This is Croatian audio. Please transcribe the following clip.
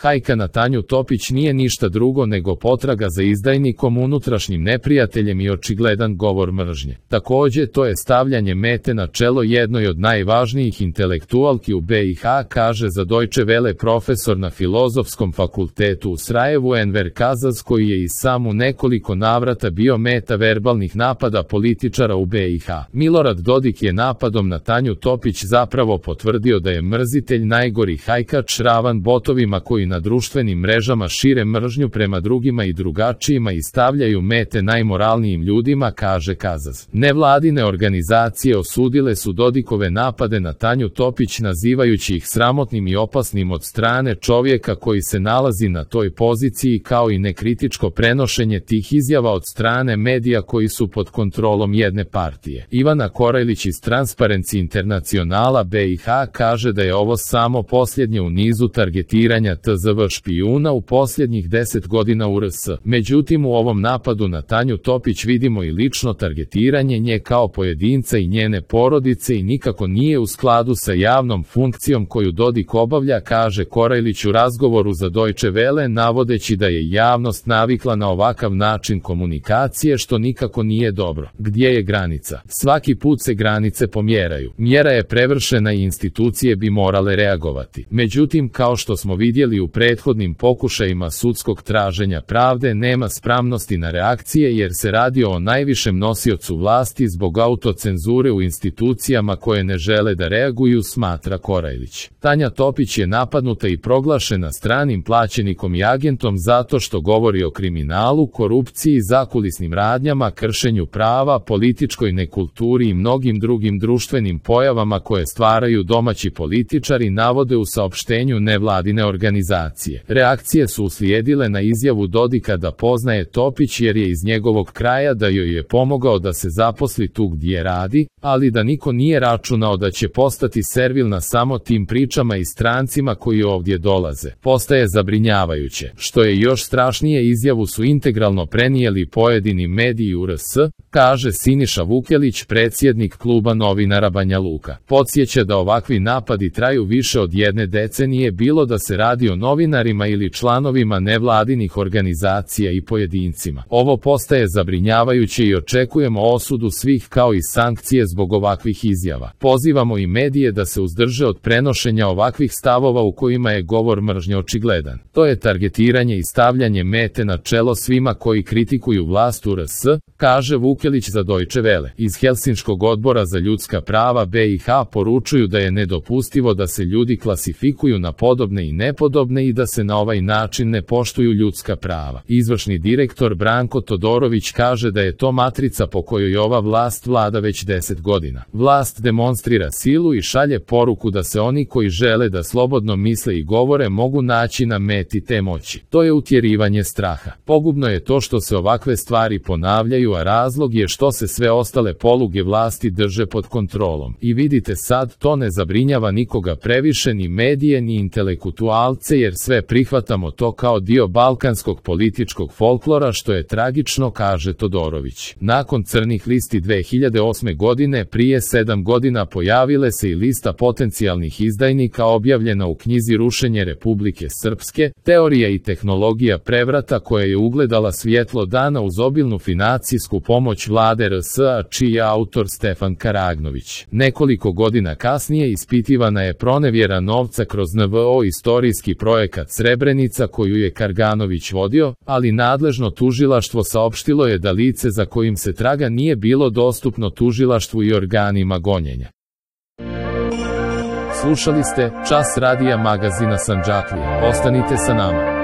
Hajka na Tanju Topić nije ništa drugo nego potraga za izdajnikom, unutrašnjim neprijateljem i očigledan govor mržnje. Takođe, to je stavljanje mete na čelo jednoj od najvažnijih intelektualki u BiH, kaže za Deutsche Welle profesor na Filozofskom fakultetu u Sarajevu Enver Kazaz, koji je i sam u nekoliko navrata bio meta verbalnih napada političara u BiH. Milorad Dodik je napadom na Tanju Topić zapravo potvrdio da je mrzitelj najgori hajkač, ravan botovima koji na društvenim mrežama šire mržnju prema drugima i drugačijima i stavljaju mete najmoralnijim ljudima, kaže Kazaz. Nevladine organizacije osudile su Dodikove napade na Tanju Topić, nazivajući ih sramotnim i opasnim od strane čovjeka koji se nalazi na toj poziciji, kao i nekritičko prenošenje tih izjava od strane medija koji su pod kontrolom jedne partije. Ivana Korajlić iz Transparency Internacionala BiH kaže da je ovo samo posljednje u nizu targetiranja TZV špijuna u posljednjih 10 godina u RS. Međutim, u ovom napadu na Tanju Topić vidimo i lično targetiranje nje kao pojedinca i njene porodice i nikako nije u skladu sa javnom funkcijom koju Dodik obavlja, kaže Korajlić u razgovoru za Deutsche Welle, navodeći da je javnost navikla na ovakav način komunikacije, što nikako nije dobro. Gdje je granica? Svaki put se granice pomjeraju. Mjera je prevršena i institucije bi morale reagovati. Međutim, kao što smo vidjeli u prethodnim pokušajima sudskog traženja pravde, nema spremnosti na reakcije jer se radi o najvišem nosiocu vlasti zbog autocenzure u institucijama koje ne žele da reaguju, smatra Korajlić. Tanja Topić je napadnuta i proglašena stranim plaćenikom i agentom zato što govori o kriminalu, korupciji, zakulisnim radnjama, kršenju prava, političkoj nekulturi i mnogim drugim društvenim pojavama koje stvaraju domaći političari, navode u saopštenju nevladine organizacije. Reakcije su uslijedile na izjavu Dodika da poznaje Topić jer je iz njegovog kraja, da joj je pomogao da se zaposli tu gdje radi, ali da niko nije računao da će postati servilna samo tim pričama i strancima koji ovdje dolaze. Postaje zabrinjavajuće. Što je još strašnije, izjavu su integralno prenijeli pojedini mediji u RS, kaže Siniša Vukelić, predsjednik kluba novinara Banja Luka. Podsjeća da ovakvi napadi traju više od jedne decenije, bilo da se radi o novinarima ili članovima nevladinih organizacija i pojedincima. Ovo postaje zabrinjavajuće i očekujemo osudu svih kao i sankcije zbog ovakvih izjava. Pozivamo i medije da se uzdrže od prenošenja ovakvih stavova u kojima je govor mržnje očigledan. To je targetiranje i stavljanje mete na čelo svima koji kritikuju vlast u RS, kaže Vukelić za Deutsche Welle. Iz Helsinškog odbora za ljudska prava BiH poručuju da je nedopustivo da se ljudi klasifikuju na podobne i nepodobne i da se na ovaj način ne poštuju ljudska prava. Izvršni direktor Branko Todorović kaže da je to matrica po kojoj ova vlast vlada već 10 godina. Vlast demonstrira silu i šalje poruku da se oni koji žele da slobodno misle i govore mogu naći na meti te moći. To je utjerivanje straha. Pogubno je to što se ovakve stvari ponavljaju, a razlog je što se sve ostale poluge vlasti drže pod kontrolom. I vidite sad, to ne zabrinjava nikoga previše, ni medije ni intelektualce, jer sve prihvatamo to kao dio balkanskog političkog folklora, što je tragično, kaže Todorović. Nakon crnih listi 2008. godine, prije 7 godina pojavile se i lista potencijalnih izdajnika objavljena u knjizi Rušenje Republike Srpske, teorija i tehnologija prevrata, koja je ugledala svjetlo dana uz obilnu financijsku pomoć vlade RS-a, čiji je autor Stefan Karagnović. Nekoliko godina kasnije ispitivana je pronevjera novca kroz NVO istorijski projekat Srebrenica koju je Karganović vodio, ali nadležno tužilaštvo saopštilo je da lice za kojim se traga nije bilo dostupno tužilaštvu i organima gonjenja. Slušali ste Čas radija magazina Sandžaklija. Ostanite sa nama.